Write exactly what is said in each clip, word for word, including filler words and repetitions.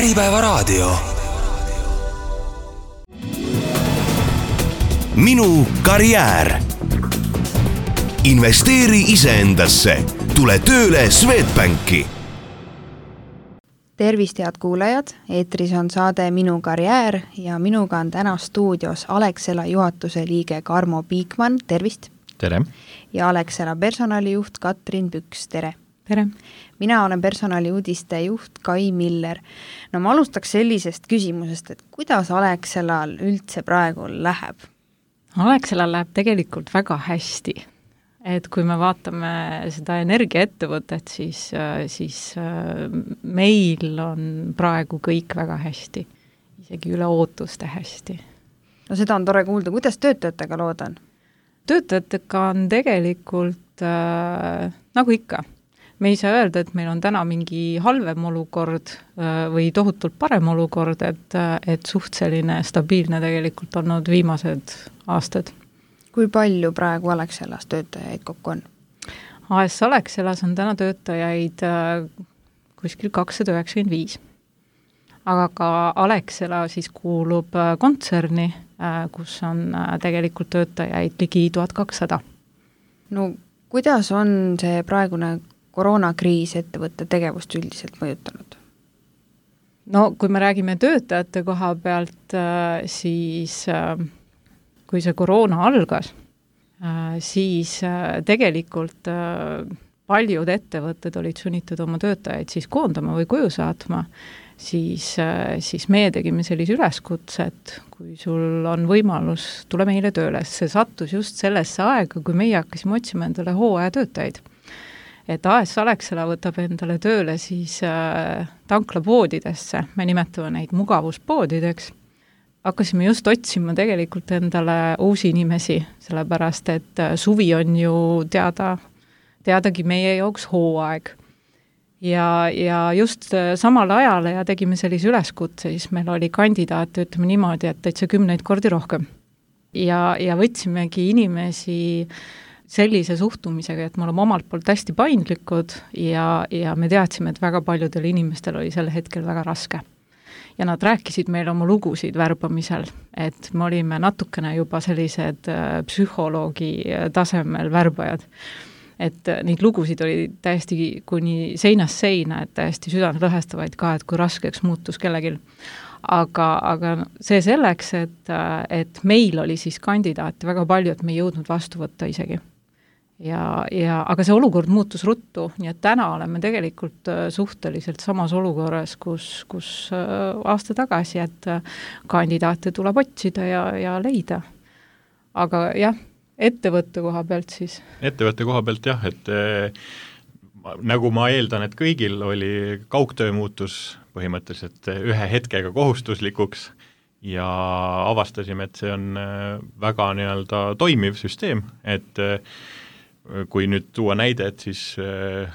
Äripäevaraadio. Minu karjäär. Investeeri iseendasse. Tule tööle Swedbanki. Tervist, head kuulajad! Eetris on saade Minu karjäär ja minuga on täna stuudios Alexela juhatuse liige Karmo Piikman. Tervist! Tere! Ja Alexela personalijuht Katrin Püks. Tere! Tere! Mina olen personaliuudiste juht Kai Miller. No ma alustaks sellisest küsimusest, et kuidas Alexelal üldse praegu läheb? Alexelal läheb tegelikult väga hästi. Et kui me vaatame seda energiaettevõtet, siis, siis meil on praegu kõik väga hästi. Isegi üle ootuste hästi. No seda on tore kuulda. Kuidas töötajatega lood on? Töötajatega on tegelikult äh, nagu ikka. Me ei saa öelda, et meil on täna mingi halvem olukord äh, või tohutult parem olukord, et, et suht selline stabiilne tegelikult olnud viimased aastad. Kui palju praegu Alexelas töötajaid kokku on? A S Alexelas on täna töötajaid äh, kuskil kakssada üheksakümmend viis. Aga ka Alexela siis kuulub äh, kontserni, äh, kus on äh, tegelikult töötajaid ligi tuhat kakssada. No kuidas on see praegune koroonakriis ettevõtte tegevust üldiselt mõjutanud? No kui me räägime töötajate koha pealt, äh, siis äh, kui see koroona algas, siis tegelikult paljud ettevõtted olid sunnitud oma töötajaid siis koondama või koju saatma, siis, siis meie tegime sellise üleskutset, kui sul on võimalus, tule meile tööle. See sattus just sellesse aega, kui meie hakkasime otsima endale hooaja töötajaid. Et A S Alexela võtab endale tööle siis tanklapoodidesse, me nimetame neid mugavuspoodideks. Hakkasime just otsima tegelikult endale uusi inimesi, sellepärast et suvi on ju teada, teadagi meie jaoks hooaeg. Ja, ja just samal ajal ja tegime sellise üleskutse, siis meil oli kandidaat, ütleme niimoodi, et täitsa kümneid kordi rohkem. Ja, ja võtsimegi inimesi sellise suhtumisega, et me oleme omalt poolt hästi paindlikud ja, ja me teadsime, et väga paljudel inimestel oli sel hetkel väga raske. Ja nad rääkisid meile oma lugusid värbamisel, et me olime natukene juba sellised psühholoogi tasemel värbajad. Et neid lugusid oli täiesti kuni seinast seina, et täiesti südant lõhestavaid ka, et kui raskeks muutus kellegil. Aga, aga see selleks, et, et meil oli siis kandidaate väga palju, et me ei jõudnud vastu võtta isegi. Ja, ja, aga see olukord muutus ruttu, nii et täna oleme tegelikult suhteliselt samas olukorras, kus, kus aasta tagasi, et kandidaate tuleb otsida ja, ja leida. Aga jah, ettevõtte koha pealt siis. Ettevõtte koha pealt jah, et eh, nagu ma eeldan, et kõigil oli kaugtöö muutus põhimõtteliselt ühe hetkega kohustuslikuks ja avastasime, et see on väga nii-öelda toimiv süsteem, et kui nüüd tuua näide, et siis äh,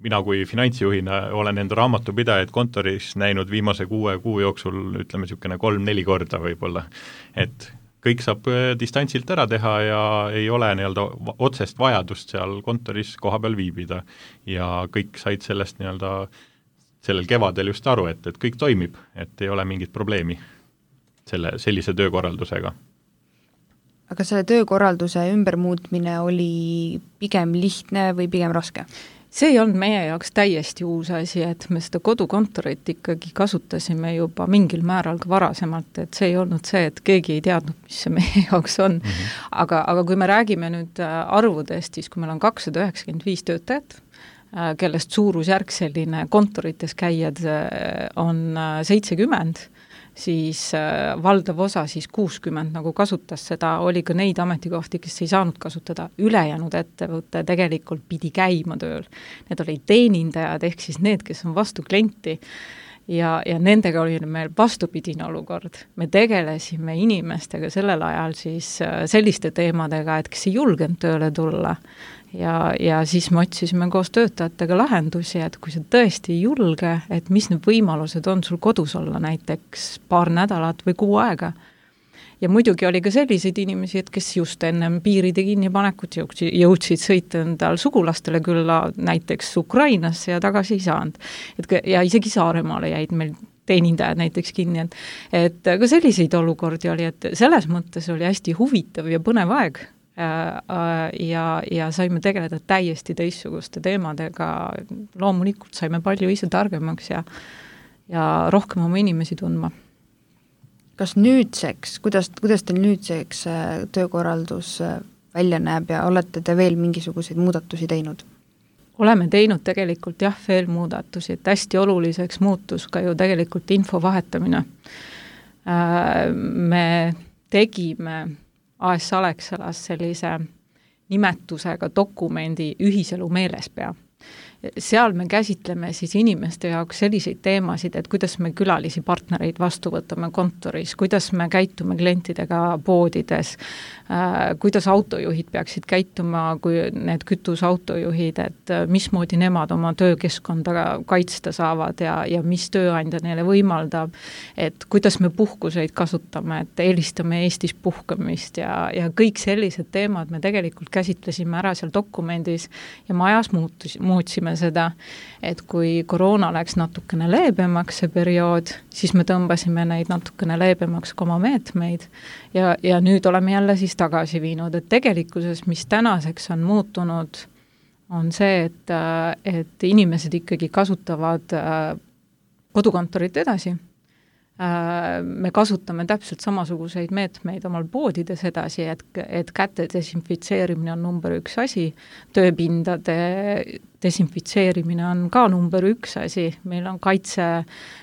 mina kui finantsjuhina olen enda raamatupidajaid kontoris näinud viimase kuue kuu jooksul, ütleme niisugune kolm-neli korda võib-olla. Et kõik saab äh, distantsilt ära teha ja ei ole nii-öelda otsest vajadust seal kontoris koha peal viibida. Ja kõik said sellest nii-öelda sellel kevadel just aru, et, et kõik toimib, et ei ole mingit probleemi selle, sellise töökorraldusega. Aga selle töökorralduse ümbermuutmine oli pigem lihtne või pigem raske? See ei olnud meie jaoks täiesti uus asi, et me seda kodukontorit ikkagi kasutasime juba mingil määral ka varasemalt, et see ei olnud see, et keegi ei teadnud, mis see meie jaoks on. Mm-hmm. Aga, aga kui me räägime nüüd arvudest, siis kui meil on kakssada üheksakümmend viis töötajat, kellest suurusjärk selline kontorites käijad on seitsekümmend, siis äh, valdav osa siis kuuskümmend nagu kasutas seda, oli ka neid ametikohti, kes ei saanud kasutada. Ülejäänud ettevõte tegelikult pidi käima tööl. Need olid teenindajad, ehk siis need, kes on vastu klienti ja, ja nendega oli meil vastupidine olukord. Me tegelesime inimestega sellel ajal siis äh, selliste teemadega, et kes ei julgenud tööle tulla. Ja, ja siis me otsisime koos töötajatega lahendusi, et kui sa tõesti ei julge, et mis need võimalused on sul kodus olla näiteks paar nädalat või kuu aega. Ja muidugi oli ka selliseid inimesi, et kes just ennem piiride kinnipanekut jõudsid sõita endal sugulastele külla näiteks Ukrainasse ja tagasi ei saanud. Et, ja isegi Saaremaale jäid meil teenindajad näiteks kinni, et et ka selliseid olukordi oli, et selles mõttes oli hästi huvitav ja põnev aeg ja, ja saime tegeleda täiesti teistsuguste teemadega, loomulikult saime palju ise targemaks ja, ja rohkem oma inimesi tundma. Kas nüüdseks, kuidas, kuidas teil nüüdseks töökorraldus välja näeb ja olete te veel mingisuguseid muudatusi teinud? Oleme teinud tegelikult jah veel muudatusi, et hästi oluliseks muutus ka ju tegelikult info vahetamine. Me tegime A S Alexelas sellise nimetusega dokumendi ühiselu meelespea. Seal me käsitleme siis inimeste jaoks selliseid teemasid, et kuidas me külalisi partnereid vastu võtame kontoris, kuidas me käitume klientidega poodides, äh, kuidas autojuhid peaksid käituma, kui need kütusautojuhid, et mismoodi nemad oma töökeskkonda kaitsta saavad ja, ja mis tööandja neile võimaldab, et kuidas me puhkuseid kasutame, et eelistame Eestis puhkamist ja, ja kõik sellised teemad me tegelikult käsitlesime ära seal dokumendis ja me ajas muutus, muutsime seda, et kui koroona läks natukene leebemaks see periood, siis me tõmbasime neid natukene leebemaks ka oma meetmeid ja, ja nüüd oleme jälle siis tagasi viinud, et tegelikkuses, mis tänaseks on muutunud, on see, et, et inimesed ikkagi kasutavad kodukontorit edasi. Me kasutame täpselt samasuguseid meetmeid omal poodides edasi, et, et käte desinfitseerimine on number üks asi, tööpindade desinfitseerimine on ka number üks asi, meil on kaitse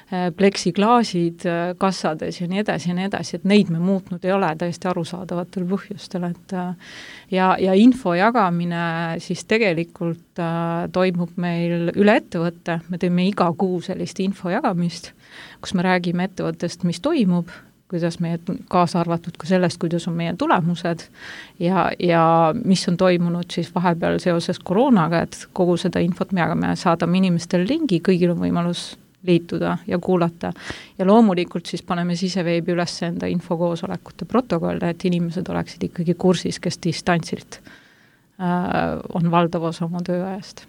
pleksiklaasid kassades ja nii edasi ja nii edasi, et neid me muutnud ei ole täiesti arusaadavatel põhjustel, et ja, ja info jagamine siis tegelikult äh, toimub meil üle ettevõtte, me teeme iga kuu sellist info jagamist, kus me räägime ettevõttest, mis toimub, kuidas meie kaasa arvatud ka sellest, kuidas on meie tulemused ja, ja mis on toimunud siis vahepeal seoses koroonaga, et kogu seda infot me jagame, saadame inimestele lingi, kõigil on võimalus liituda ja kuulata. Ja loomulikult siis paneme siseveebi üles enda infokoosolekute protokolle, et inimesed oleksid ikkagi kursis, kes distantsilt äh, on valdav osa oma tööajast.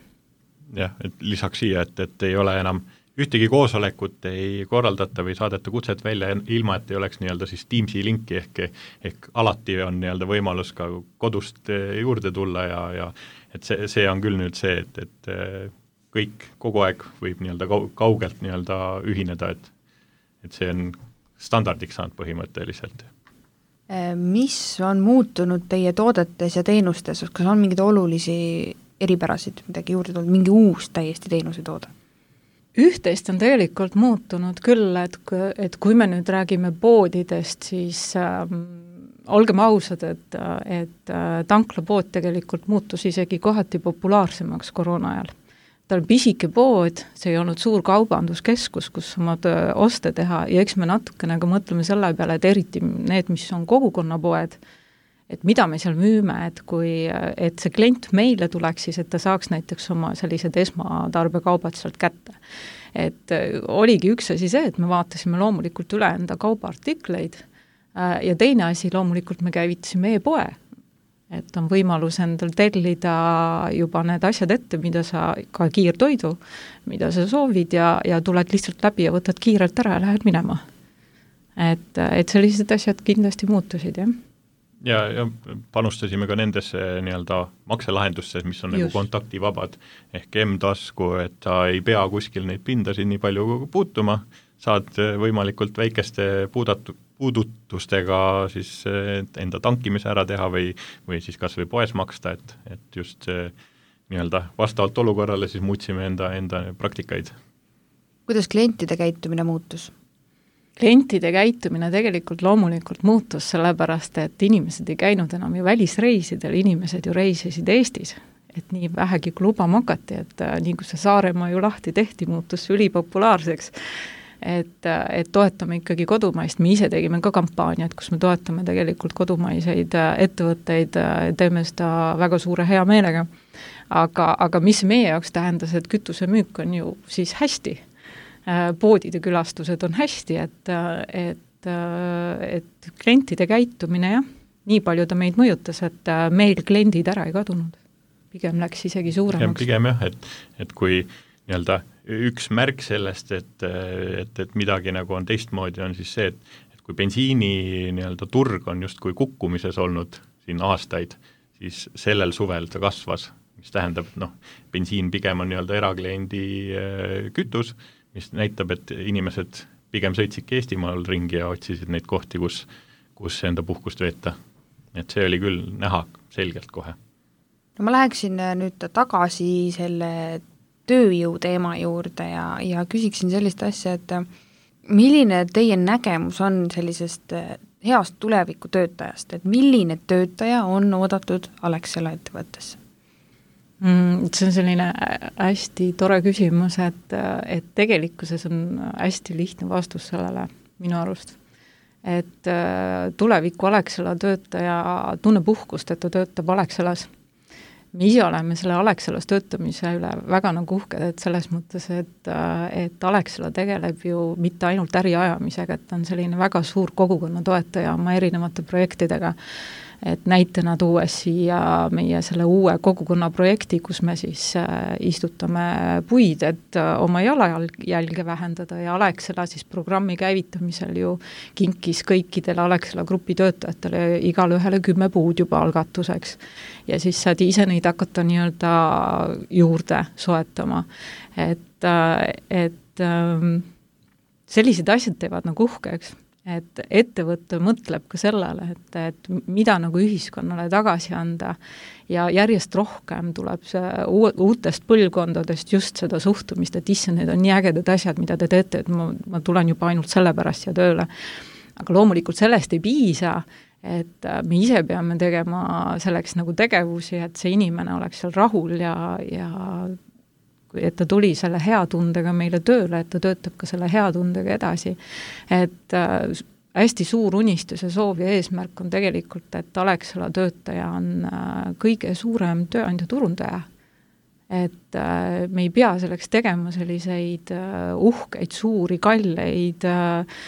Jah, et lisaks siia, et, et ei ole enam ühtegi koosolekut ei korraldata või saadeta kutset välja ilma, et ei oleks nii-öelda siis Teamsi linki ehk, ehk alati on nii-öelda võimalus ka kodust juurde tulla ja, ja et see, see on küll nüüd see, et, et kõik kogu aeg võib nii-öelda kaugelt nii-öelda ühineda, et, et see on standardiks saanud põhimõtteliselt. Mis on muutunud teie toodetes ja teenustes, kas on mingeid olulisi eripärasid, midagi juurde tulnud, mingi uus täiesti teenuse toode? Üht-teist on tegelikult muutunud küll, et, et kui me nüüd räägime poodidest, siis ähm, olgem ausad, et, et tanklapood tegelikult muutus isegi kohati populaarsemaks koroona ajal. Ta on pisike pood, see ei olnud suur kaubanduskeskus, kus oma oste teha ja eks me natukene ka mõtleme selle peale, et eriti need, mis on kogukonnapoed, et mida me seal müüme, et kui, et see klient meile tuleks siis, et ta saaks näiteks oma sellised esmatarbekaubad sealt kätte. Et oligi üks asi see, et me vaatasime loomulikult üle enda kaubaartikleid ja teine asi loomulikult me käivitasime e-poe, et on võimalus endal tellida juba need asjad ette, mida sa, ka kiirtoidu, mida sa soovid ja, ja tuled lihtsalt läbi ja võtad kiirelt ära ja lähed minema. Et, et sellised asjad kindlasti muutusid, jah. Ja, ja panustasime ka nendesse nii-öelda makselahendusse, mis on Just. nagu kontaktivabad ehk M-tasku, et ta ei pea kuskil neid pindasid nii palju puutuma, saad võimalikult väikeste puudatu, puudutustega siis enda tankimise ära teha või, või siis kas või poes maksta, et, et just nii-öelda vastavalt olukorrale siis muutsime enda, enda praktikaid. Kuidas klientide käitumine muutus? Klientide käitumine tegelikult loomulikult muutus sellepärast, et inimesed ei käinud enam ju välisreisidel, inimesed ju reisisid Eestis, et nii vähegi kui lubama hakati, et nii kui see Saaremaa ju lahti tehti, muutus ülipopulaarseks, et, et toetame ikkagi kodumaist, me ise tegime ka kampaaniat, kus me toetame tegelikult kodumaiseid ettevõtteid, teeme seda väga suure hea meelega, aga, aga mis meie jaoks tähendas, et kütusemüük on ju siis hästi, poodide külastused on hästi, et, et, et klientide käitumine, jah, nii palju ta meid mõjutas, et meil kliendid ära ei kadunud. Pigem läks isegi suuremaks. Pigem jah, et, et kui nii-öelda üks märk sellest, et, et, et midagi nagu on teistmoodi, on siis see, et, et kui bensiini nii-öelda turg on justkui kukkumises olnud siin aastaid, siis sellel suvel ta kasvas, mis tähendab, et noh, bensiin pigem on nii-öelda erakliendi kütus, mis näitab, et inimesed pigem sõitsidki Eestimaal ringi ja otsisid neid kohti, kus, kus enda puhkust veeta. Et see oli küll näha selgelt kohe. No ma läheksin nüüd tagasi selle tööjõu teema juurde ja, ja küsiksin sellist asja, et milline teie nägemus on sellisest heast tuleviku töötajast, et milline töötaja on oodatud Alexela ettevõttesse? Mm, see on selline hästi tore küsimus, et, et tegelikkuses on hästi lihtne vastus sellele minu arust. Et tuleviku Alexela töötaja tunneb uhkust, et ta töötab Alexelas. Me ise oleme selle Alexelas töötamise üle väga nagu uhked, et selles mõttes, et, et Alexela tegeleb ju mitte ainult äri ajamisega, et ta on selline väga suur kogukonna toetaja oma erinevate projektidega. Et näitena tuues siia meie selle uue kogukonna projekti, kus me siis äh, istutame puid, et äh, oma jalajälge vähendada ja Alexela siis programmi käivitamisel ju kinkis kõikidele Alexela grupi töötajatele igale ühele kümme puud juba algatuseks. Ja siis saad ise neid hakata nii-öelda juurde soetama. Et, äh, et äh, sellised asjad teevad nagu uhkeks. Et ettevõte mõtleb ka sellele, et, et mida nagu ühiskonnale tagasi anda ja järjest rohkem tuleb see uutest põlvkondadest just seda suhtumist, et isse, need on nii ägedad asjad, mida te teete, et ma, ma tulen juba ainult selle pärast siia tööle. Aga loomulikult sellest ei piisa, et me ise peame tegema selleks nagu tegevusi, et see inimene oleks seal rahul ja, ja et ta tuli selle hea tundega meile tööle, et ta töötab ka selle hea tundega edasi. Et äh, hästi suur unistus ja soov ja eesmärk on tegelikult, et Alexela töötaja on äh, kõige suurem tööandja turundaja. Et äh, me ei pea selleks tegema selliseid äh, uhkeid, suuri, kalleid äh,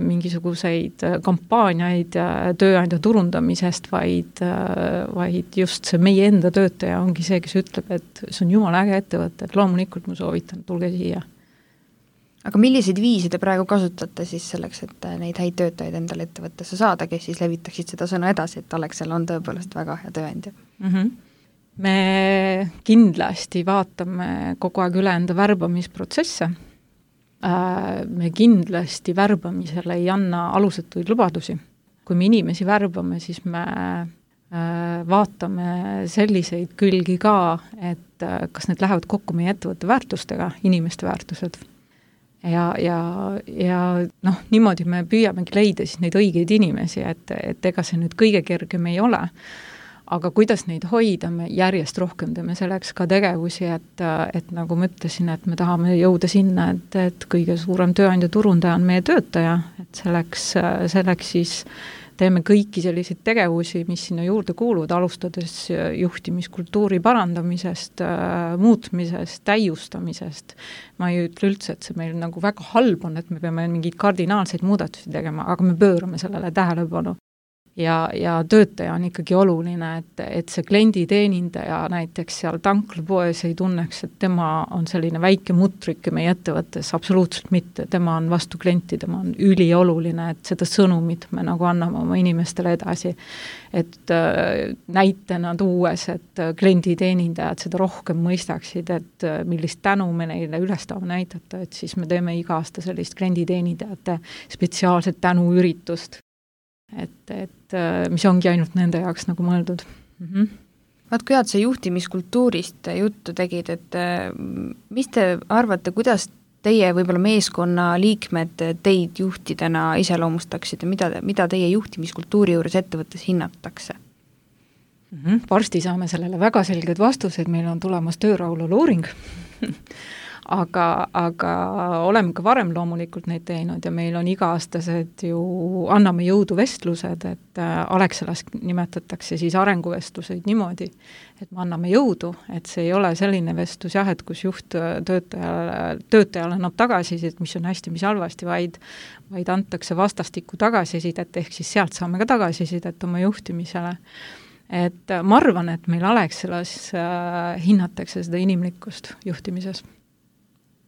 mingisuguseid äh, kampaaniaid äh, tööandja turundamisest, vaid, äh, vaid just see meie enda töötaja ongi see, kes ütleb, et see on jumala äge ettevõte, et loomulikult ma soovitan, tulge siia. Aga milliseid viisi te praegu kasutate siis selleks, et neid häid töötajaid endale ettevõttesse saada, kes siis levitaksid seda sõna edasi, et Alexela on tõepoolest väga hea tööandja? Mhm. Me kindlasti vaatame kogu aeg üle enda värbamisprotsesse. Me kindlasti värbamisele ei anna alusetuid lubadusi. Kui me inimesi värbame, siis me vaatame selliseid külgi ka, et kas need lähevad kokku meie ettevõtte väärtustega, inimeste väärtused. Ja, ja, ja noh, niimoodi me püüamegi leida siis neid õigeid inimesi, et, et ega see nüüd kõige kergem ei ole. Aga kuidas neid hoida, me järjest rohkem teeme selleks ka tegevusi, et, et nagu ma ütlesin, et me tahame jõuda sinna, et, et kõige suurem tööandja turundaja on meie töötaja, et selleks, selleks siis teeme kõiki selliseid tegevusi, mis sinna juurde kuuluvad, alustades juhtimiskultuuri parandamisest, muutmisest, täiustamisest. Ma ei ütle üldse, et see meil nagu väga halb on, et me peame mingeid kardinaalseid muudatusi tegema, aga me pöörame sellele tähelepanu. Ja, ja töötaja on ikkagi oluline, et, et see klienditeenindaja näiteks seal tanklapoes ei tunneks, et tema on selline väike mutrike meie ettevõttes, absoluutselt mitte, tema on vastu klienti, tema on ülioluline, et seda sõnumit me nagu anname oma inimestele edasi. Et äh, näitena tuues, et klienditeenindajad seda rohkem mõistaksid, et äh, millist tänu me neile üles tahame näidata, et siis me teeme iga aasta sellist klienditeenindajate spetsiaalset tänuüritust. Et, et mis ongi ainult nende jaoks nagu mõeldud. Mm-hmm. Vaat kui head see juhtimiskultuurist juttu tegid, et mis te arvate, kuidas teie võib-olla meeskonna liikmed teid juhtidena iseloomustaksid ja mida, mida teie juhtimiskultuuri juures ettevõttes hinnatakse? Mm-hmm. Varsti saame sellele väga selged vastused, meil on tulemas töörahulolu uuring. Aga, aga oleme ka varem loomulikult neid teinud ja meil on iga-aastased ju anname jõudu vestlused, et Alexelas nimetatakse siis arenguvestluseid niimoodi, et me anname jõudu, et see ei ole selline vestlus jah, et kus juht töötajale, töötajale annab tagasisidet, mis on hästi, mis halvasti, vaid, vaid antakse vastastikku tagasisidet, ehk siis sealt saame ka tagasisidet oma juhtimisele. Et ma arvan, et meil Alexelas hinnatakse seda inimlikkust juhtimises.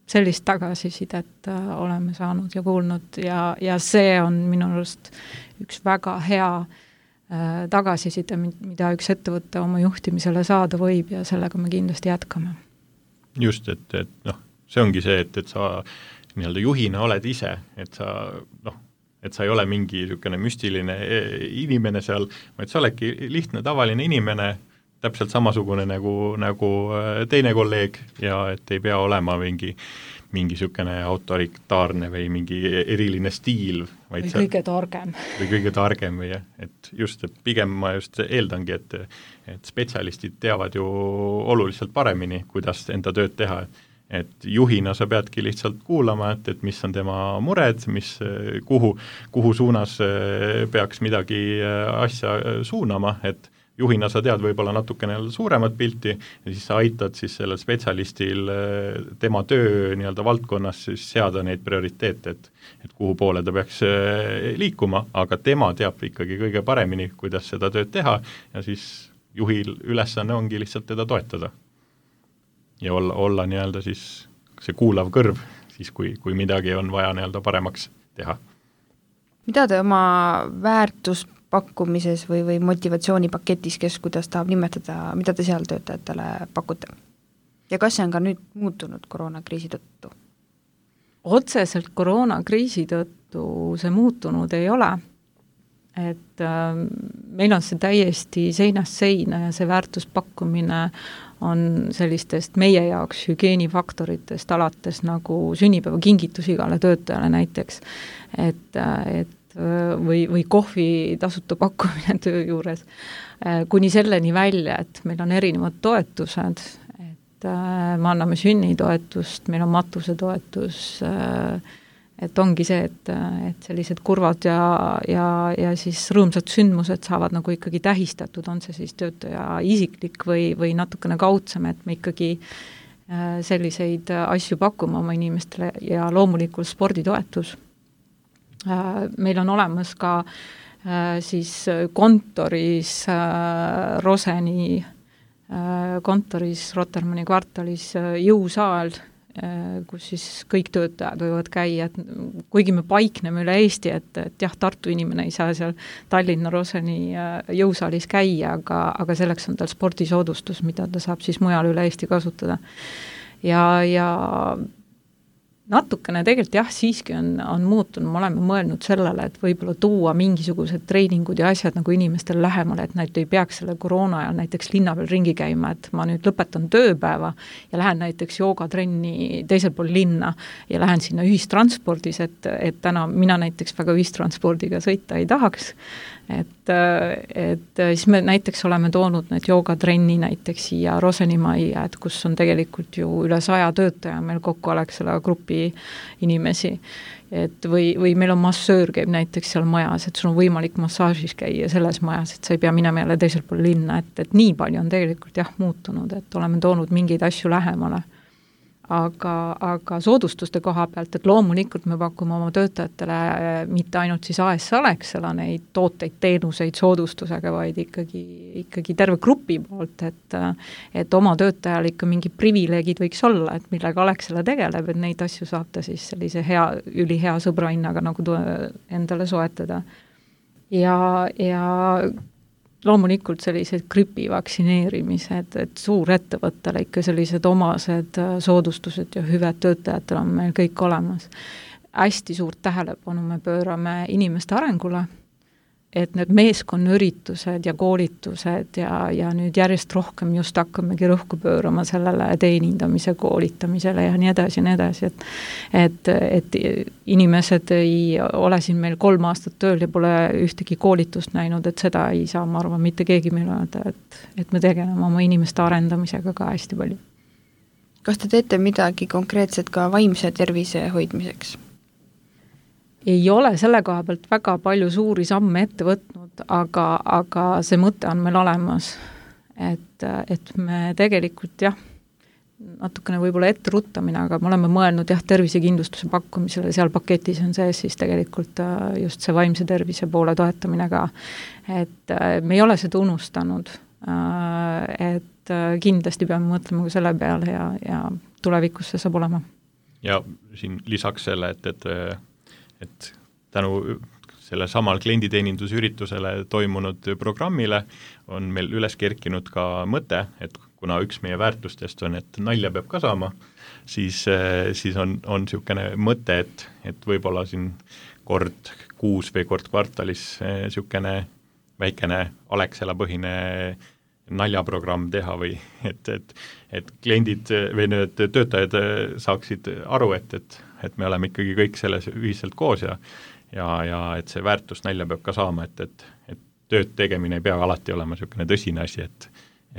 sellist tagasisidet äh, oleme saanud ja kuulnud ja, ja see on minu arust üks väga hea äh, tagasiside, mida üks ettevõte oma juhtimisele saada võib ja sellega me kindlasti jätkame. Just, et, et noh, see ongi see, et, et sa nii-öelda juhina oled ise, et sa noh, et sa ei ole mingi niisugune müstiline inimene seal, vaid sa oledki lihtne tavaline inimene, täpselt samasugune nagu, nagu teine kolleeg ja et ei pea olema mingi mingi niisugune autoritaarne või mingi eriline stiil. Vaid või sa, kõige targem. Või kõige targem, või, et just, et pigem ma just eeldangi, et, et spetsialistid teavad ju oluliselt paremini, kuidas enda tööd teha. Et juhina sa peadki lihtsalt kuulama, et, et mis on tema mured, mis, kuhu, kuhu suunas peaks midagi asja suunama, et juhina sa tead võib-olla natukene suuremat pilti ja siis sa aitad siis sellel spetsialistil tema töö nii-öelda valdkonnas siis seada neid prioriteete, et, et kuhu poole ta peaks liikuma, aga tema teab ikkagi kõige paremini, kuidas seda tööd teha ja siis juhil ülesanne ongi lihtsalt teda toetada. Ja olla, olla nii-öelda siis see kuulav kõrv, siis kui, kui midagi on vaja nii-öelda paremaks teha. Mida te oma väärtuspakkumises või, või motivatsioonipaketis, kes kuidas tahab nimetada, mida te seal töötajatele pakute? Ja kas see on ka nüüd muutunud koroonakriisi tõttu? Otseselt koroonakriisi tõttu see muutunud ei ole. Et äh, meil on see täiesti seinast seina ja see väärtuspakkumine on sellistest meie jaoks hügieenifaktoritest alates nagu sünnipäeva kingitus igale töötajale näiteks, et, et või, või kohvi tasuta pakkumine töö juures, kuni selleni välja, et meil on erinevad toetused, et me anname sünnitoetust, meil on matusetoetus, et ongi see, et, et sellised kurvad ja, ja, ja siis rõõmsad sündmused saavad nagu ikkagi tähistatud, on see siis töötaja isiklik või, või natukene kaudsem, et me ikkagi selliseid asju pakume oma inimestele ja loomulikult sporditoetus. Meil on olemas ka siis kontoris Roseni kontoris Rotermanni kvartalis jõusaal, kus siis kõik töötajad võivad käia, et kuigi me paikneme üle Eesti, et, et jah, Tartu inimene ei saa seal Tallinna Roseni jõusaalis käia, aga, aga selleks on tal spordisoodustus, mida ta saab siis mujal üle Eesti kasutada. Ja, ja natukene tegelikult jah, siiski on, on muutunud, me oleme mõelnud sellele, et võib-olla tuua mingisugused treeningud ja asjad nagu inimestel lähemale, et nad ei peaks selle koroona ajal näiteks linna peal ringi käima, et ma nüüd lõpetan tööpäeva ja lähen näiteks joogatrenni teisel pool linna ja lähen sinna ühistranspordis, et, et täna mina näiteks väga ühistranspordiga sõita ei tahaks, et, et siis me näiteks oleme toonud need joogatrenni näiteks siia Rosenimajja, et kus on tegelikult ju üle saja töötaja meil kokku Alexela grupi inimesi, et või, või meil on massöör käib näiteks seal majas, et sul on võimalik massaažis käia selles majas, et sa ei pea minema jälle teisel pool linna, et, et nii palju on tegelikult jah muutunud, et oleme toonud mingeid asju lähemale. Aga, aga soodustuste koha pealt, et loomulikult me pakume oma töötajatele mitte ainult siis A S Alexela neid tooteid, teenuseid soodustusega, vaid ikkagi, ikkagi terve grupi poolt, et, et oma töötajal ikka mingi privileegid võiks olla, et millega Alexela tegeleb, et neid asju saab ta siis sellise hea, ülihea sõbrahinnaga nagu endale soetada. Ja, ja loomulikult sellised gripi vaktsineerimised, et suurettevõttele ikka sellised omased soodustused ja hüved töötajatel on meil kõik olemas. Hästi suurt tähelepanu me pöörame inimeste arengule, et need meeskonnaüritused ja koolitused ja, ja nüüd järjest rohkem just hakkamegi rõhku pöörama sellele teenindamise koolitamisele ja nii edasi ja nii edasi, et, et, et inimesed ei ole siin meil kolm aastat tööl ja pole ühtegi koolitust näinud, et seda ei saa, ma arvan, mitte keegi meil öelda, et, et me tegeleme oma inimeste arendamisega ka hästi palju. Kas te teete midagi konkreetset ka vaimse tervise hoidmiseks? Ei ole selle koha pealt väga palju suuri samme ette võtnud, aga, aga see mõte on meil olemas, et, et me tegelikult jah, natukene võib-olla ette ruttamine, aga me oleme mõelnud jah, tervisekindlustuse pakkumisele, seal paketis on see siis tegelikult just see vaimse tervise poole toetamine ka, et me ei ole seda unustanud, et kindlasti peame mõtlema ka selle peale ja, ja tulevikus see saab olema. ja siin lisaks selle, et, et, et tänu selle samal klienditeenindusüritusele toimunud programmile on meil üles kerkinud ka mõte, et kuna üks meie väärtustest on, et nalja peab ka saama, siis, siis on, on niisugune mõte, et, et võib-olla siin kord kuus või kord kvartalis niisugune väikene Alexela põhine naljaprogramm teha või et, et, et kliendid või need töötajad saaksid aru, et, et, et me oleme ikkagi kõik selles ühiselt koos ja ja, ja et see väärtus nalja peab ka saama, et, et, et tööd tegemine ei pea alati olema niisugune tõsine asi, et,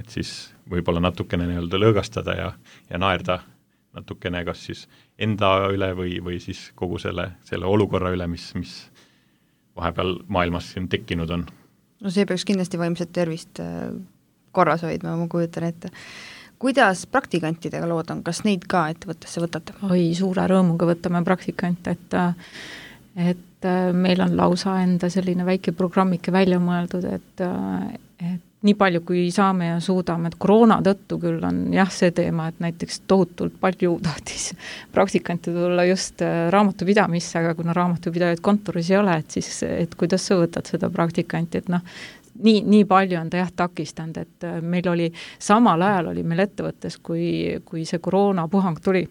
et siis võib-olla natukene nii-öelda lõõgastada ja, ja naerda natukene kas siis enda üle või, või siis kogu selle, selle olukorra üle, mis, mis vahepeal maailmas siin tekkinud on. No see peaks kindlasti vaimset tervist korras hoidma, ma kujutan ette. Kuidas praktikantidega lood on, kas neid ka ettevõttesse võtate? Oi, suure rõõmuga võtame praktikante, et et meil on lausa enda selline väike programmike välja mõeldud, et, et nii palju, kui saame ja suudame, et koroona tõttu küll on jah see teema, et näiteks tohutult palju tahtis praktikante tulla just raamatupidamisse, aga kuna raamatupidajaid kontoris ei ole, et siis, et kuidas sa võtad seda praktikanti, et noh, nii, nii palju on ta jah takistanud, et meil oli, samal ajal oli meil ettevõttes, kui, kui see koroonapuhang tuli,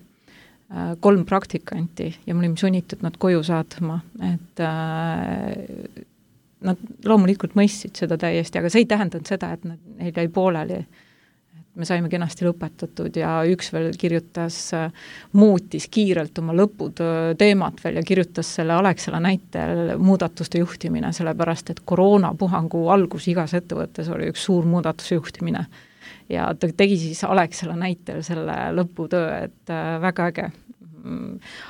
kolm praktikanti ja me olime sunnitud nad koju saatma, et äh, nad loomulikult mõistsid seda täiesti, aga see ei tähendanud seda, et nad, neil jäi pooleli. Et me saime kenasti lõpetatud ja üks veel kirjutas, muutis kiirelt oma lõpud teemat veel ja kirjutas selle Alexela näitel muudatuste juhtimine, sellepärast et koroonapuhangu algus igas ettevõttes oli üks suur muudatuse juhtimine. Ja ta tegi siis Alexela näitel selle lõputöö, et väga äge.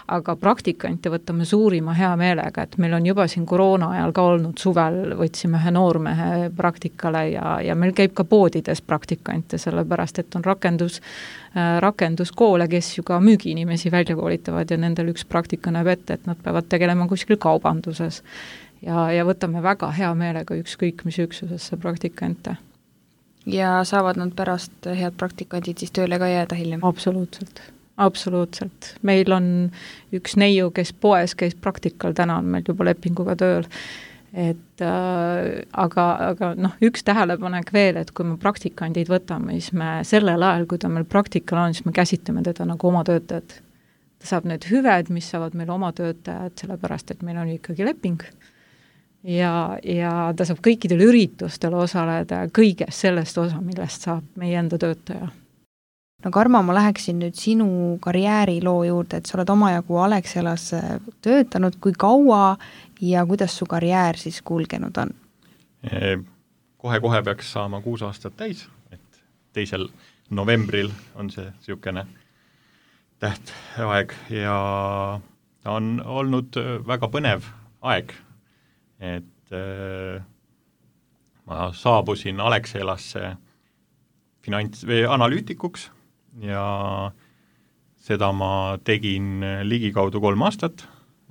Aga praktikante võtame suurima hea meelega, et meil on juba siin koroona ajal ka olnud suvel, võtsime ühe noormehe praktikale ja, ja meil käib ka poodides praktikante, sellepärast et on rakendus, rakenduskoole, kes ju ka müügiinimesi välja koolitavad ja nendel üks praktika näeb ette, et nad peavad tegelema kuskil kaubanduses. Ja, ja võtame väga hea meelega ükskõik mis üksusesse praktikante. Ja saavad nad pärast head praktikandid siis tööle ka jääda hiljem? Absoluutselt, absoluutselt. Meil on üks neiu, kes poes käis praktikal, täna on meil juba lepinguga tööl. Et, äh, aga, aga noh, üks tähelepanek veel, et kui me praktikandid võtame, siis me sellel ajal, kui ta meil praktikal on, siis me käsitleme teda nagu oma töötajad. Ta saab need hüved, mis saavad meil oma töötajad, sellepärast, et meil on ikkagi leping. Ja, ja ta saab kõikidel üritustel osaleda kõigest sellest osa, millest saab meie enda töötaja. No Karmo, ma läheksin nüüd sinu karjääriloo juurde, et sa oled omajagu Alexelas töötanud, kui kaua ja kuidas su karjäär siis kulgenud on? Kohe-kohe peaks saama kuus aastat täis, et teisel novembril on see niisugune tähtaeg ja ta on olnud väga põnev aeg. Et äh, ma saabusin Alexelasse finants- või analüütikuks ja seda ma tegin ligikaudu kolm aastat,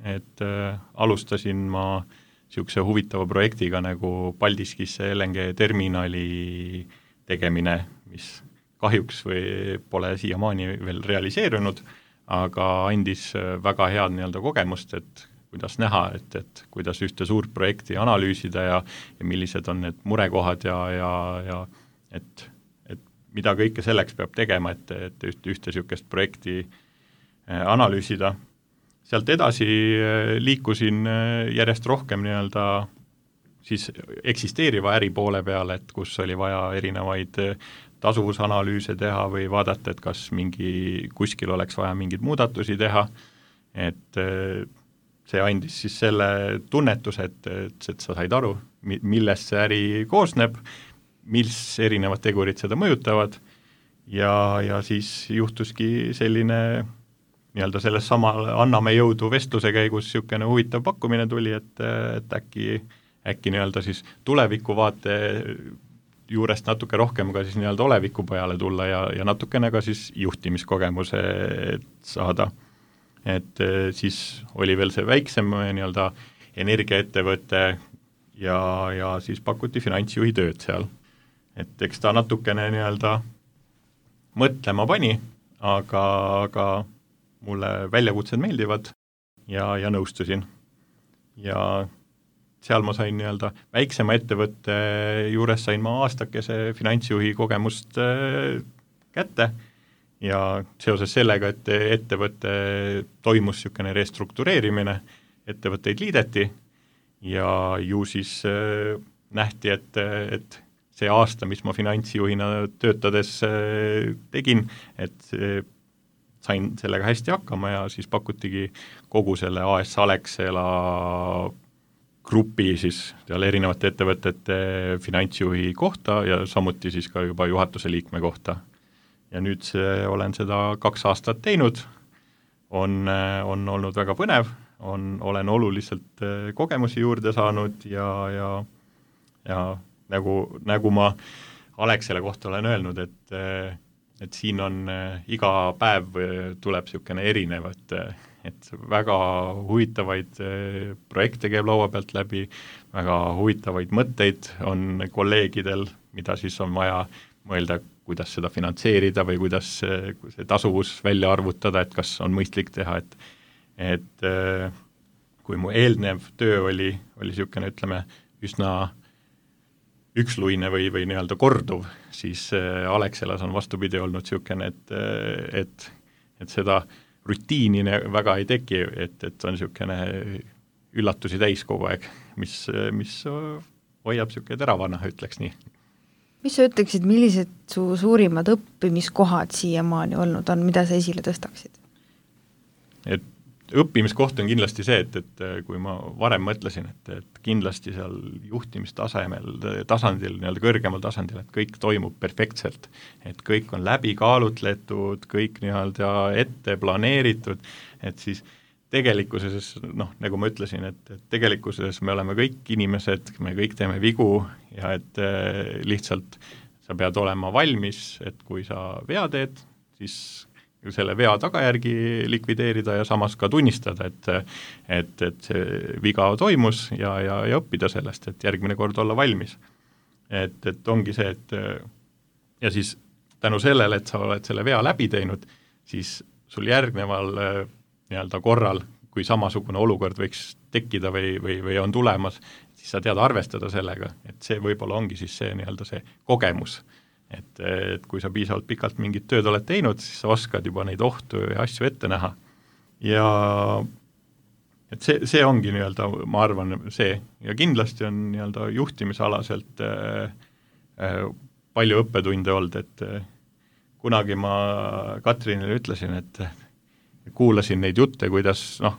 et äh, alustasin ma niisuguse huvitava projektiga nagu Paldiskisse L N G terminali tegemine, mis kahjuks või pole siiamaani veel realiseerunud, aga andis väga head nii-öelda kogemust, et kuidas näha, et, et kuidas ühte suurt projekti analüüsida ja, ja millised on need murekohad ja, ja, ja et, et mida kõike selleks peab tegema, et, et ühte, ühte niisugust projekti analüüsida. Sealt edasi liikusin järjest rohkem nii-öelda siis eksisteeriva äri poole peale, et kus oli vaja erinevaid tasuvusanalüüse teha või vaadata, et kas mingi, kuskil oleks vaja mingeid muudatusi teha, et see andis siis selle tunnetuse, et, et, et sa said aru, millest see äri koosneb, mis erinevad tegurid seda mõjutavad ja, ja siis juhtuski selline nii-öelda selles samal anname jõudu vestluse käigus niisugune huvitav pakkumine tuli, et, et äkki, äkki nii-öelda siis tulevikuvaate juurest natuke rohkem ka siis nii-öelda oleviku peale tulla ja, ja natukene ka siis juhtimiskogemuse saada. Et siis oli veel see väiksem nii-öelda energiaettevõte ja, ja siis pakuti finantsjuhi tööd seal. Et eks ta natukene nii-öelda mõtlema pani, aga, aga mulle väljakutsed meeldivad ja, ja nõustusin. Ja seal ma sain nii-öelda väiksema ettevõtte juures sain ma aastakese finantsjuhi kogemust kätte ja seoses sellega, et ettevõtte toimus niisugune restruktureerimine, ettevõtteid liideti ja ju siis nähti, et, et see aasta, mis ma finantsjuhina töötades tegin, et sain sellega hästi hakkama ja siis pakutigi kogu selle A S Alexela grupi siis seal erinevate ettevõtete finantsjuhi kohta ja samuti siis ka juba juhatuse liikme kohta. Ja nüüd see, olen seda kaks aastat teinud, on, on olnud väga põnev, on, olen oluliselt kogemusi juurde saanud ja, ja, ja nagu, nagu ma Alexela kohta olen öelnud, et, et siin on iga päev tuleb niisugune erinev, et, et väga huvitavaid projekte käib laua pealt läbi, väga huvitavaid mõtteid on kolleegidel, mida siis on vaja mõelda, kuidas seda finantseerida või kuidas see tasuvus välja arvutada, et kas on mõistlik teha, et, et kui mu eelnev töö oli, oli niisugune, ütleme, üsna üksluine või, või nii-öelda korduv, siis Alexelas on vastupidi olnud niisugune, et, et, et seda rutiini väga ei teki, et, et on niisugune üllatusi täis kogu aeg, mis, mis hoiab niisugune teravana, ütleks nii. Mis sa ütleksid, millised su suurimad õppimiskohad siiamaani olnud on, mida sa esile tõstaksid? Et õppimiskoht on kindlasti see, et, et kui ma varem mõtlesin, et, et kindlasti seal juhtimistasemel, tasandil, nii-öelda kõrgemal tasandil, et kõik toimub perfektselt, et kõik on läbi kaalutletud, kõik nii-öelda ette planeeritud, et siis tegelikkuses, noh, nagu ma ütlesin, et, et tegelikkuses me oleme kõik inimesed, me kõik teeme vigu ja et eh, lihtsalt sa pead olema valmis, et kui sa vea teed, siis selle vea tagajärgi likvideerida ja samas ka tunnistada, et, et, et see viga toimus ja, ja, ja õppida sellest, et järgmine kord olla valmis. Et, et ongi see, et ja siis tänu sellele, et sa oled selle vea läbi teinud, siis sul järgneval nii-öelda korral, kui samasugune olukord võiks tekkida või, või, või on tulemas, siis sa tead arvestada sellega, et see võib-olla ongi siis see nii-öelda see kogemus. Et, et kui sa piisavalt pikalt mingit tööd oled teinud, siis sa oskad juba neid ohtu ja asju ette näha. Ja et see, see ongi nii-öelda, ma arvan, see. Ja kindlasti on nii-öelda juhtimisalaselt äh, äh, palju õppetunde olnud, et äh, kunagi ma Katrinile ütlesin, et kuulasin neid jutte, kuidas, noh,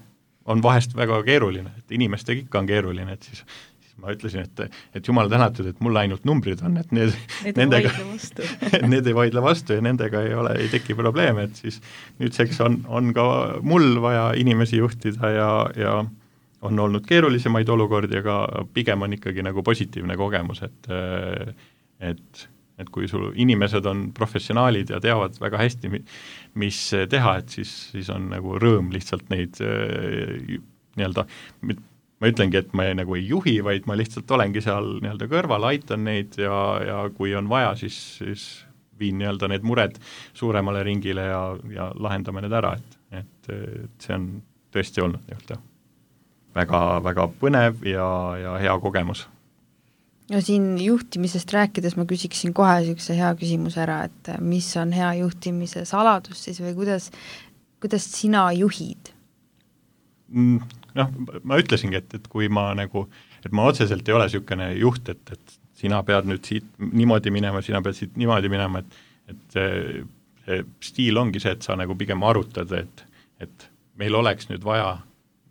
on vahest väga keeruline, et inimestega ikka on keeruline, et siis, siis ma ütlesin, et, et jumal tänatud, et mulle ainult numbrid on, et need, need nendega, ei vaidle vastu. need ei vaidle vastu ja nendega ei ole, ei teki probleeme, et siis nüüdseks on, on ka mul vaja inimesi juhtida ja, ja on olnud keerulisemaid olukordi, aga pigem on ikkagi nagu positiivne kogemus, et, et et kui sul inimesed on professionaalid ja teavad väga hästi, mis teha, et siis, siis on nagu rõõm lihtsalt neid nii-öelda, ma ütlengi, et ma ei, nagu ei juhi, vaid ma lihtsalt olengi seal nii-öelda kõrval, aitan neid ja, ja kui on vaja, siis, siis viin nii-öelda need mured suuremale ringile ja, ja lahendame need ära, et, et, et see on tõesti olnud nii-öelda väga, väga põnev ja, ja hea kogemus. No siin juhtimisest rääkides ma küsiksin kohe niisuguse hea küsimuse ära, et mis on hea juhtimise saladus siis või kuidas, kuidas sina juhid? Noh, ma ütlesingi, et, et kui ma nagu, et ma otseselt ei ole niisugune juht, et, et sina pead nüüd siit niimoodi minema, sina pead siit niimoodi minema, et, et see, see stiil ongi see, et sa nagu pigem arutad, et, et meil oleks nüüd vaja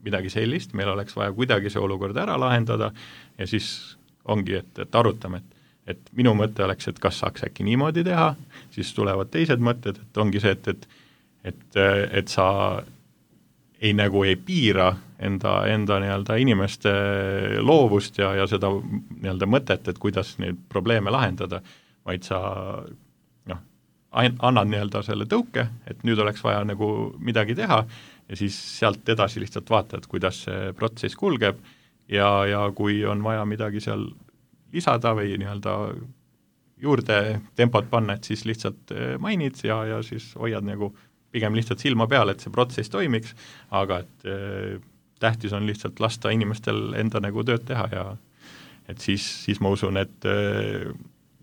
midagi sellist, meil oleks vaja kuidagi see olukord ära lahendada ja siis ongi, et, et arutame, et, et minu mõte oleks, et kas saaks äkki niimoodi teha, siis tulevad teised mõtted, et ongi see, et, et, et, et sa ei nagu ei piira enda, enda nii-öelda inimeste loovust ja, ja seda nii-öelda mõtet, et kuidas neid probleeme lahendada, vaid sa noh, annad nii-öelda selle tõuke, et nüüd oleks vaja nagu midagi teha ja siis sealt edasi lihtsalt vaatad, kuidas see protsess kulgeb ja, ja kui on vaja midagi seal lisada või nii-öelda juurde tempot panna, et siis lihtsalt mainid ja, ja siis hoiad nagu pigem lihtsalt silma peal, et see protsess toimiks, aga et äh, tähtis on lihtsalt lasta inimestel enda nagu tööd teha ja et siis, siis ma usun, et äh,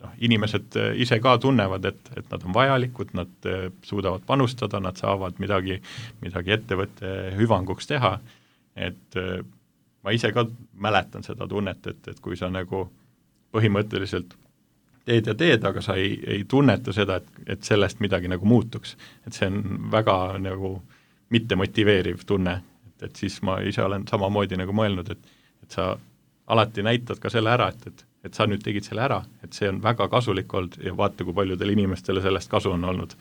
noh, inimesed ise ka tunnevad, et, et nad on vajalikud, nad äh, suudavad panustada, nad saavad midagi, midagi ettevõtte hüvanguks teha, et äh, ma ise ka mäletan seda tunnet, et, et kui sa nagu põhimõtteliselt teed ja teed, aga sa ei, ei tunneta seda, et, et sellest midagi nagu muutuks. Et see on väga nagu mitte motiveeriv tunne, et, et siis ma ise olen samamoodi nagu mõelnud, et, et sa alati näitad ka selle ära, et, et, et sa nüüd tegid selle ära, et see on väga kasulik olnud ja vaata, kui paljudele inimestele sellest kasu on olnud.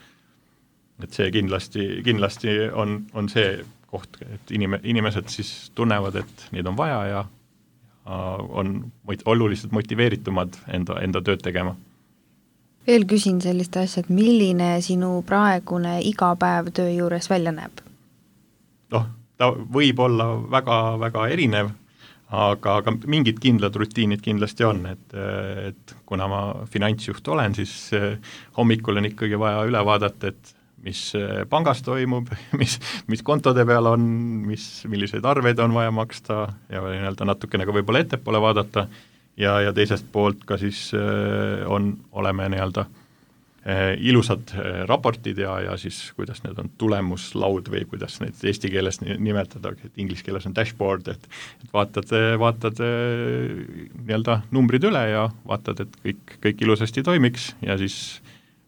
Et see kindlasti, kindlasti on, on see koht, et inime, inimesed siis tunnevad, et neid on vaja ja on oluliselt motiveeritumad enda, enda tööd tegema. Veel küsin sellist asja, et milline sinu praegune igapäev töö juures välja näeb? noh, ta võib olla väga, väga erinev, aga, aga mingid kindlad rutiinid kindlasti on, et, et kuna ma finantsjuht olen, siis hommikul on ikkagi vaja üle vaadata, et mis pangas toimub, mis, mis kontode peal on, mis, milliseid arveid on vaja maksta ja nii-öelda natukene ka võib-olla ettepoole vaadata ja, ja teisest poolt ka siis on, oleme nii-öelda ilusad raportid ja, ja siis kuidas need on tulemuslaud või kuidas neid eesti keeles nimetada, et inglise keeles on dashboard, et, et vaatad, vaatad nii-öelda numbrid üle ja vaatad, et kõik, kõik ilusasti toimiks ja siis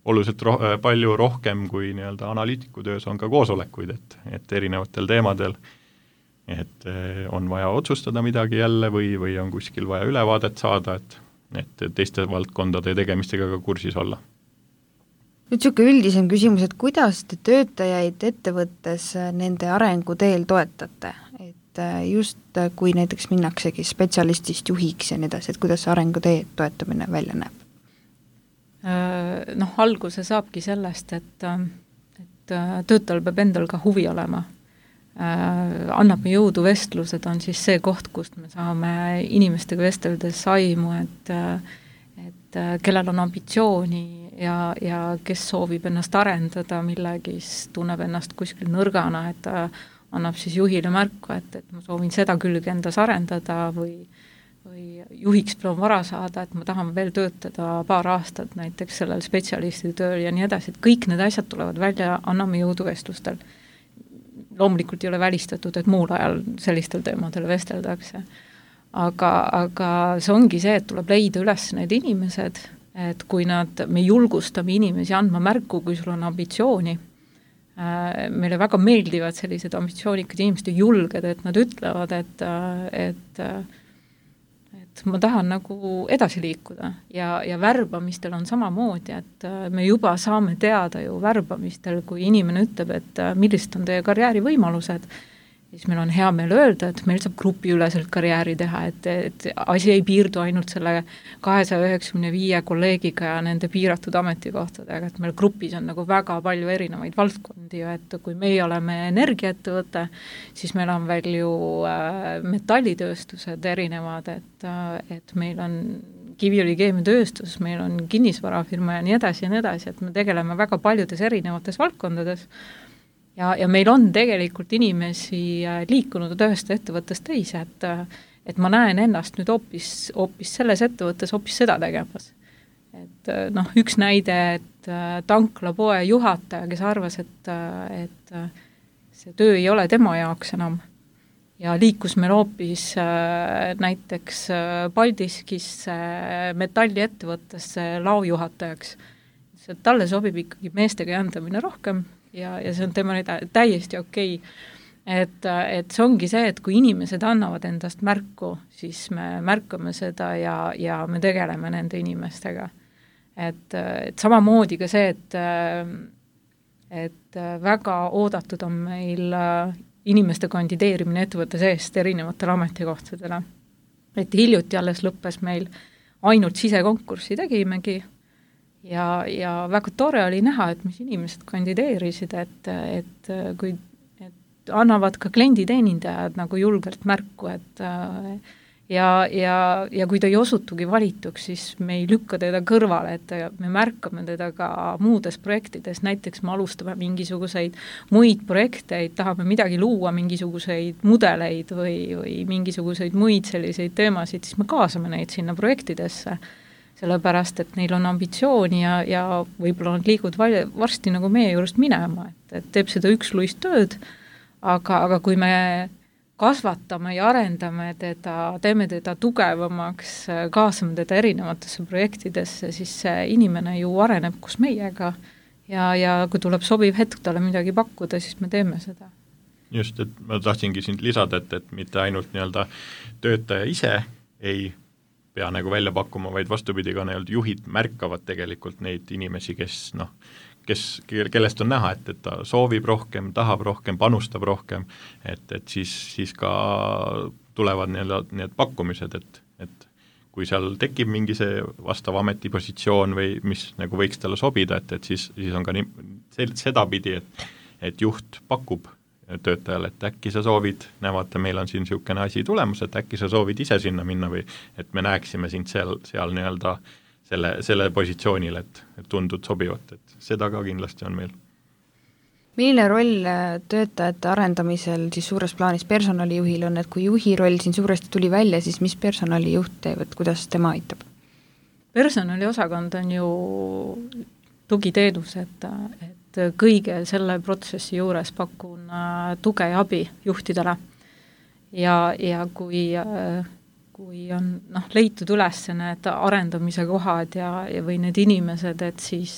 oluliselt roh- palju rohkem kui nii-öelda analüütiku töös on ka koosolekuid, et, et erinevatel teemadel, et on vaja otsustada midagi jälle või, või on kuskil vaja ülevaadet saada, et, et teiste valdkondade tegemistega ka kursis olla. Nüüd siuke üldisem küsimus, et kuidas te töötajaid ettevõttes nende arenguteel toetate? Et just kui näiteks minnaksegi spetsialistist juhiks ja nii edasi, et kuidas see arengutee toetamine välja näeb? Noh, alguse saabki sellest, et, et töötajal peab endal ka huvi olema. Annab jõudu vestlused on siis see koht, kust me saame inimestega vesteldes aimu, et, et kellel on ambitsiooni ja, ja kes soovib ennast arendada millegis, tunneb ennast kuskil nõrgana, et ta annab siis juhile märku, et, et ma soovin seda külge endas arendada või või juhiks peab vara saada, et ma tahan veel töötada paar aastat näiteks sellel spetsialisti tööl ja nii edasi, et kõik need asjad tulevad välja, anname jõudu vestlustel. Loomulikult ei ole välistatud, et muul ajal sellistel teemadel vesteldakse. Aga, aga see ongi see, et tuleb leida üles need inimesed, et kui nad, me julgustame inimesi andma märku, kui sul on ambitsiooni, meile väga meeldivad sellised ambitsioonikad inimesed ja julged, et nad ütlevad, et, et ma tahan nagu edasi liikuda ja, ja värbamistel on samamoodi, et me juba saame teada ju värbamistel, kui inimene ütleb, et millised on teie karjäärivõimalused, siis meil on hea meel öelda, et meil saab grupiüleselt karjääri teha, et, et asi ei piirdu ainult selle kahesaja üheksakümne viie kolleegiga ja nende piiratud ametikohtadega, et meil grupis on nagu väga palju erinevaid valdkondi ju, et kui meie oleme energiaettevõte, siis meil on veel ju äh, metallitööstused erinevad, et, äh, et meil on kiviõlikeemiatööstus, meil on kinnisvarafirma ja nii edasi ja nii edasi, et me tegeleme väga paljudes erinevates valdkondades. Ja, ja meil on tegelikult inimesi liikunud ühest ettevõttest teise, et, et ma näen ennast nüüd hoopis, hoopis selles ettevõttes hoopis seda tegemas. Et noh, üks näide, et tanklapoe juhataja, kes arvas, et, et see töö ei ole tema jaoks enam ja liikus meil hoopis näiteks Paldiskis metalliettevõttesse laojuhatajaks. Talle sobib ikkagi meestega jändamine rohkem ja, ja see on tema täiesti okei. Et, et see ongi see, et kui inimesed annavad endast märku, siis me märkame seda ja, ja me tegeleme nende inimestega. Et, et samamoodi ka see, et, et väga oodatud on meil inimeste kandideerimine ettevõtte seest erinevatele ametikohtadele. Et hiljuti alles lõppes meil ainult sisekonkurssi tegimegi, Ja, ja väga tore oli näha, et mis inimesed kandideerisid, et, et kui et annavad ka klienditeenindajad nagu julgelt märku, et, ja, ja, ja kui ta ei osutugi valituks, siis me ei lükka teda kõrvale, et me märkame teda ka muudes projektides, näiteks me alustame mingisuguseid muid projekte, tahame midagi luua, mingisuguseid mudeleid või, või mingisuguseid muid selliseid teemasid, siis me kaasame neid sinna projektidesse, sellepärast, et neil on ambitsiooni ja, ja võib-olla nad liigud varsti nagu meie juurest minema, et, et teeb seda üks luist tööd, aga, aga kui me kasvatame ja arendame teda, teeme teda tugevamaks, kaasame teda erinevatesse projektidesse, siis see inimene ju areneb koos meiega ja, ja kui tuleb sobiv hetk talle midagi pakkuda, siis me teeme seda. Just, et ma tahtsingi sind lisada, et, et mitte ainult nii-öelda töötaja ise ei pea nagu välja pakkuma, vaid vastupidi ka nii-öelda juhid märkavad tegelikult neid inimesi, kes noh, kes, kellest on näha, et, et ta soovib rohkem, tahab rohkem, panustab rohkem, et, et siis, siis ka tulevad nii-öelda need pakkumised, et, et kui seal tekib mingi see vastav ametipositsioon või mis nagu võiks talle sobida, et, et siis, siis on ka nii, sedapidi, et, et juht pakub töötajale, et äkki sa soovid, näevad, meil on siin niisugune asi tulemus, et äkki sa soovid ise sinna minna või et me näeksime sind seal, seal nii-öelda selle, selle positsioonil, et, et tundud sobivat, et seda ka kindlasti on meil. Milline roll töötajate arendamisel siis suures plaanis personalijuhil on, et kui juhi roll siin suuresti tuli välja, siis mis personalijuht teeb, et kuidas tema aitab? Personaliosakond on ju tugiteenus, et, et kõige selle protsessi juures pakun tuge ja abi juhtidele ja, ja kui kui on noh, leitud üles need arendamise kohad ja, ja või need inimesed, et siis,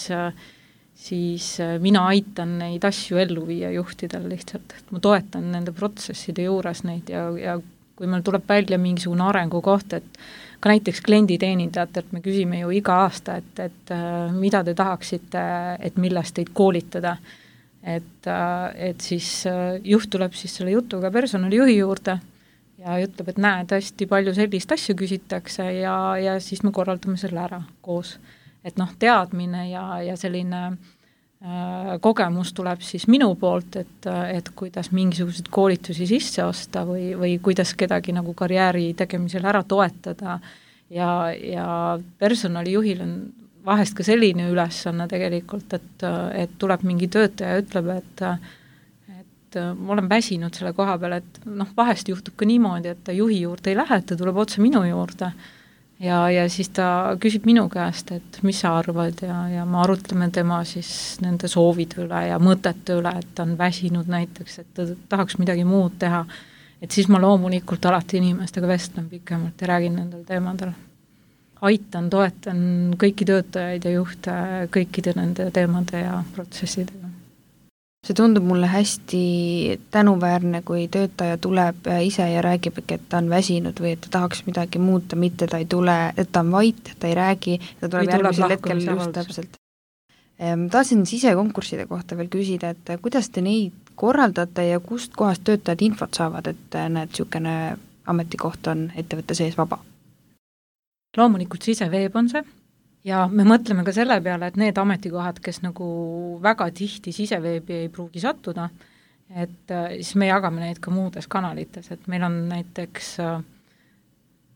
siis mina aitan neid asju ellu viia juhtidel lihtsalt, et ma toetan nende protsesside juures neid ja, ja kui meil tuleb välja mingisugune arengu koht, et ka näiteks klienditeenindajatelt me küsime ju iga aasta, et, et mida te tahaksite, et millest teid koolitada, et, et siis juht tuleb siis selle jutuga personalijuhi juurde ja ütleb, et näed, hästi palju sellist asju küsitakse ja, ja siis me korraldame selle ära koos. Et noh, teadmine ja, ja selline äh, kogemus tuleb siis minu poolt, et, et kuidas mingisuguseid koolitusi sisse osta või, või kuidas kedagi nagu karjääri tegemisel ära toetada ja, ja personalijuhil on vahest ka selline ülesanne tegelikult, et, et tuleb mingi töötaja ja ütleb, et ma olen väsinud selle koha peal, et noh, vahest juhtub ka niimoodi, et ta juhi juurde ei lähe, ta tuleb otse minu juurde ja, ja siis ta küsib minu käest, et mis sa arvad ja, ja ma arutleme tema siis nende soovide üle ja mõtete üle, et ta on väsinud näiteks, et ta tahaks midagi muud teha, et siis ma loomulikult alati inimestega vestlen pikemalt ja räägin nendel teemadel. Aitan, toetan kõiki töötajaid ja juhte kõikide nende teemade ja protsessidega. See tundub mulle hästi tänuväärne, kui töötaja tuleb ise ja räägib, et ta on väsinud või et ta tahaks midagi muuta, mitte ta ei tule, et ta on vait, ta ei räägi, ta tuleb järgmisel hetkel just täpselt. Tahtsin sisekonkursside kohta veel küsida, et kuidas te neid korraldate ja kust kohast töötajad infot saavad, et näed, niisugune ametikoht on ettevõtte sees vaba? Loomulikult siseveeb on see. Ja me mõtleme ka selle peale, et need ametikohad, kes nagu väga tihti siseveebi ei pruugi sattuda, et siis me jagame neid ka muudes kanalites, et meil on näiteks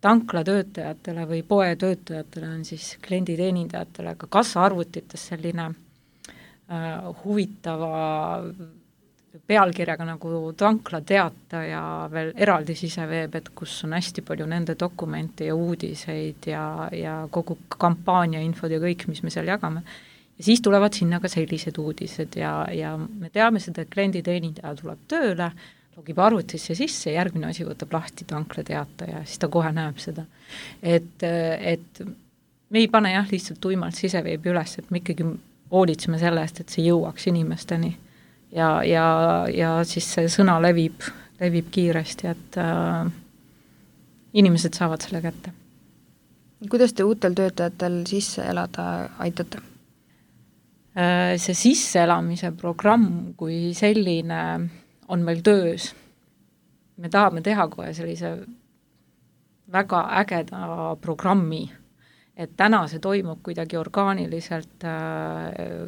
tanklatöötajatele või poetöötajatele on siis klienditeenindajatele ka kassaarvutites selline äh, huvitava pealkirjaga nagu tanklateata ja veel eraldi siseveeb, et kus on hästi palju nende dokumente ja uudiseid ja, ja kogu kampaania infod ja kõik, mis me seal jagame. Ja siis tulevad sinna ka sellised uudised ja, ja me teame seda, et klienditeenindaja tuleb tööle, logib arvutisse sisse, järgmine asi võtab lahti tanklateata ja siis ta kohe näeb seda. Et, et me ei pane jah lihtsalt tuimalt siseveebi üles, et me ikkagi hoolitseme selle eest, et see jõuaks inimesteni. Ja, ja, ja siis see sõna levib, levib kiiresti, et äh, inimesed saavad selle kätte. Kuidas te uutel töötajatel sisse elada aitate? Äh, see sisseelamise programm kui selline on meil töös. Me tahame teha kohe sellise väga ägeda programmi, et täna see toimub kuidagi orgaaniliselt äh,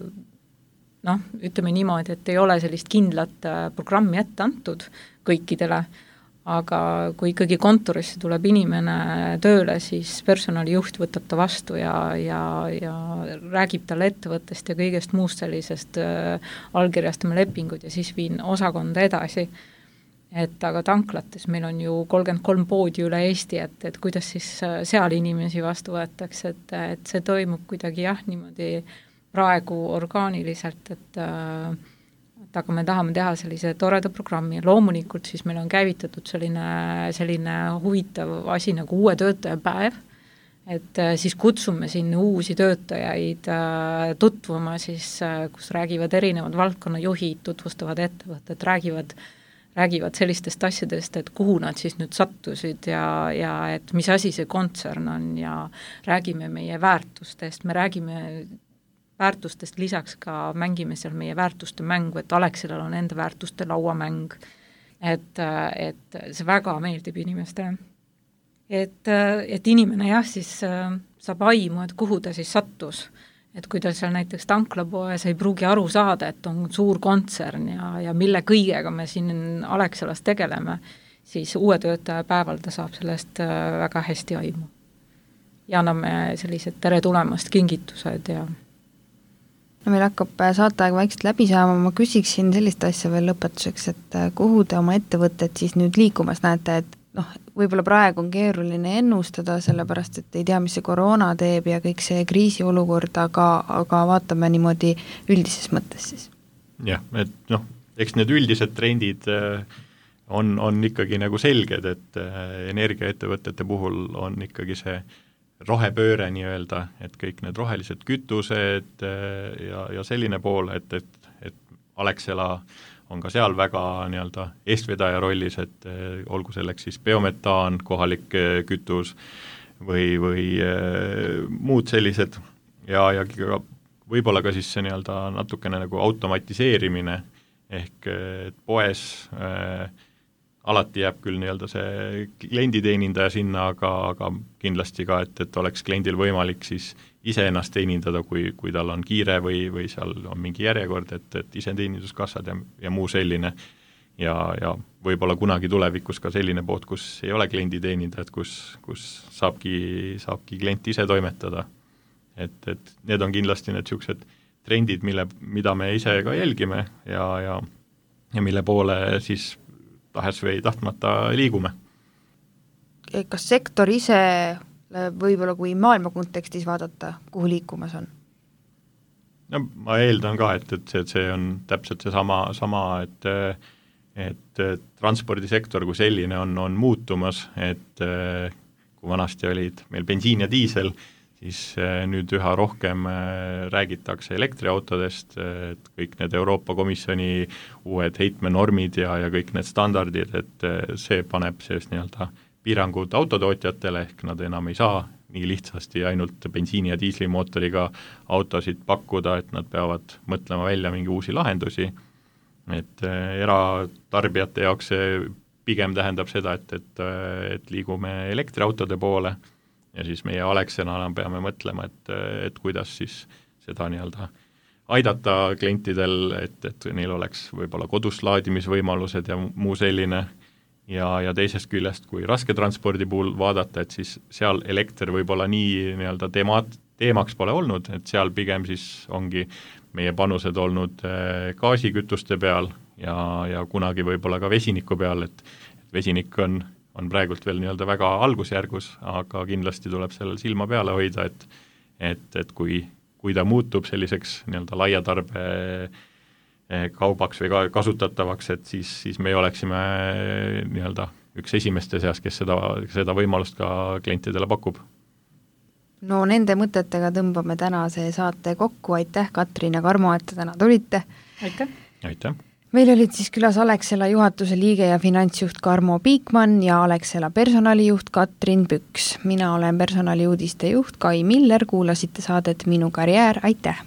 noh, ütleme niimoodi, et ei ole sellist kindlat programmi ette antud kõikidele, aga kui ikkagi kontorisse tuleb inimene tööle, siis personalijuht võtab ta vastu ja, ja, ja räägib talle ettevõttest ja kõigest muust sellisest äh, allkirjastame lepingud ja siis viin osakonda edasi. Et aga tanklates meil on ju kolmkümmend kolm poodi üle Eesti, et, et kuidas siis seal inimesi vastu võetakse, et, et see toimub kuidagi jah, niimoodi praegu orgaaniliselt, et äh, aga me tahame teha sellise toreda programmi ja loomulikult siis meil on käivitatud selline, selline huvitav asi nagu uue töötaja päev, et siis kutsume sinna uusi töötajaid tutvuma siis, kus räägivad erinevad valdkonnajuhid, tutvustavad ettevõtted, räägivad, räägivad sellistest asjadest, et kuhu nad siis nüüd sattusid ja, ja et mis asi see kontsern on ja räägime meie väärtustest, me räägime väärtustest lisaks ka mängime seal meie väärtuste mängu, et Alexelal on enda väärtuste lauamäng, et, et see väga meeldib inimestele. Et, et inimene jah, siis saab aimu, et kuhu ta siis sattus, et kui ta seal näiteks tanklapoes ei pruugi aru saada, et on suur kontsern ja, ja mille kõigega me siin Alexelas tegeleme, siis uue töötaja päeval ta saab sellest väga hästi aimu. Ja anname sellised tere tulemast kingitused ja no meil hakkab saateaeg vaikselt läbi saama, ma küsiksin sellist asja veel lõpetuseks, et kuhu te oma ettevõtted siis nüüd liikumas näete, et noh, võib-olla praegu on keeruline ennustada, sellepärast et ei tea, mis see koroona teeb ja kõik see kriisiolukord, aga, aga vaatame niimoodi üldises mõttes siis. Jah, et noh, eks need üldised trendid on, on ikkagi nagu selged, et energiaettevõtete puhul on ikkagi see rohepööre nii-öelda, et kõik need rohelised kütused ja, ja selline pool, et, et, et Alexela on ka seal väga nii-öelda eestvedaja rollis, et olgu selleks siis biometaan, kohalik kütus või, või muud sellised ja, ja võib-olla ka siis see nii-öelda natukene nagu automatiseerimine ehk poes äh, alati jääb küll nii-öelda see klienditeenindaja sinna, aga, aga kindlasti ka, et, et oleks kliendil võimalik siis ise ennast teenindada, kui, kui tal on kiire või, või seal on mingi järjekord, et, et ise teeninduskassad ja, ja muu selline. Ja, ja võib-olla kunagi tulevikus ka selline pood, kus ei ole klienditeenindajad, kus, kus saabki, saabki klient ise toimetada. Et, et need on kindlasti need niisugused trendid, mille, mida me ise ka jälgime ja, ja, ja mille poole siis tahes või tahtmata liigume. Kas sektor ise võib-olla kui maailma kontekstis vaadata, kuhu liikumas on? No ma eeldan ka, et, et see, see on täpselt see sama, sama et, et transpordisektor kui selline on, on muutumas, et kui vanasti olid meil bensiin ja diisel, siis nüüd üha rohkem räägitakse elektriautodest, et kõik need Euroopa Komisjoni uued heitmenormid ja, ja kõik need standardid, et see paneb sellest nii-öelda piirangud autotootjatele, ehk nad enam ei saa nii lihtsasti ainult bensiini- ja diislimootoriga autosid pakkuda, et nad peavad mõtlema välja mingi uusi lahendusi, et eratarbijate jaoks see pigem tähendab seda, et, et, et liigume elektriautode poole, ja siis meie Alexelana peame mõtlema, et, et kuidas siis seda nii-öelda aidata klientidel, et, et neil oleks võib-olla kodus laadimisvõimalused ja muu selline, ja, ja teisest küljest, kui rasketranspordi puhul vaadata, et siis seal elekter võib-olla nii nii-öelda teema, teemaks pole olnud, et seal pigem siis ongi meie panused olnud gaasikütuste peal ja, ja kunagi võib-olla ka vesiniku peal, et, et vesinik on on praegult veel nii-öelda väga algusjärgus, aga kindlasti tuleb sellel silma peale hoida, et, et, et kui, kui ta muutub selliseks nii-öelda laiatarbe kaubaks või ka kasutatavaks, et siis, siis me oleksime nii-öelda üks esimeste seas, kes seda, seda võimalust ka klientidele pakub. No nende mõtetega tõmbame tänase saate kokku, aitäh Katrin ja Karmo, et te täna tulite. Aitäh! Aitäh! Meil olid siis külas Alexela juhatuse liige ja finantsjuht Karmo Piikmann ja Alexela personalijuht Katrin Püks. Mina olen personaliuudiste juht Kai Miller, kuulasite saadet Minu karjäär, aitäh!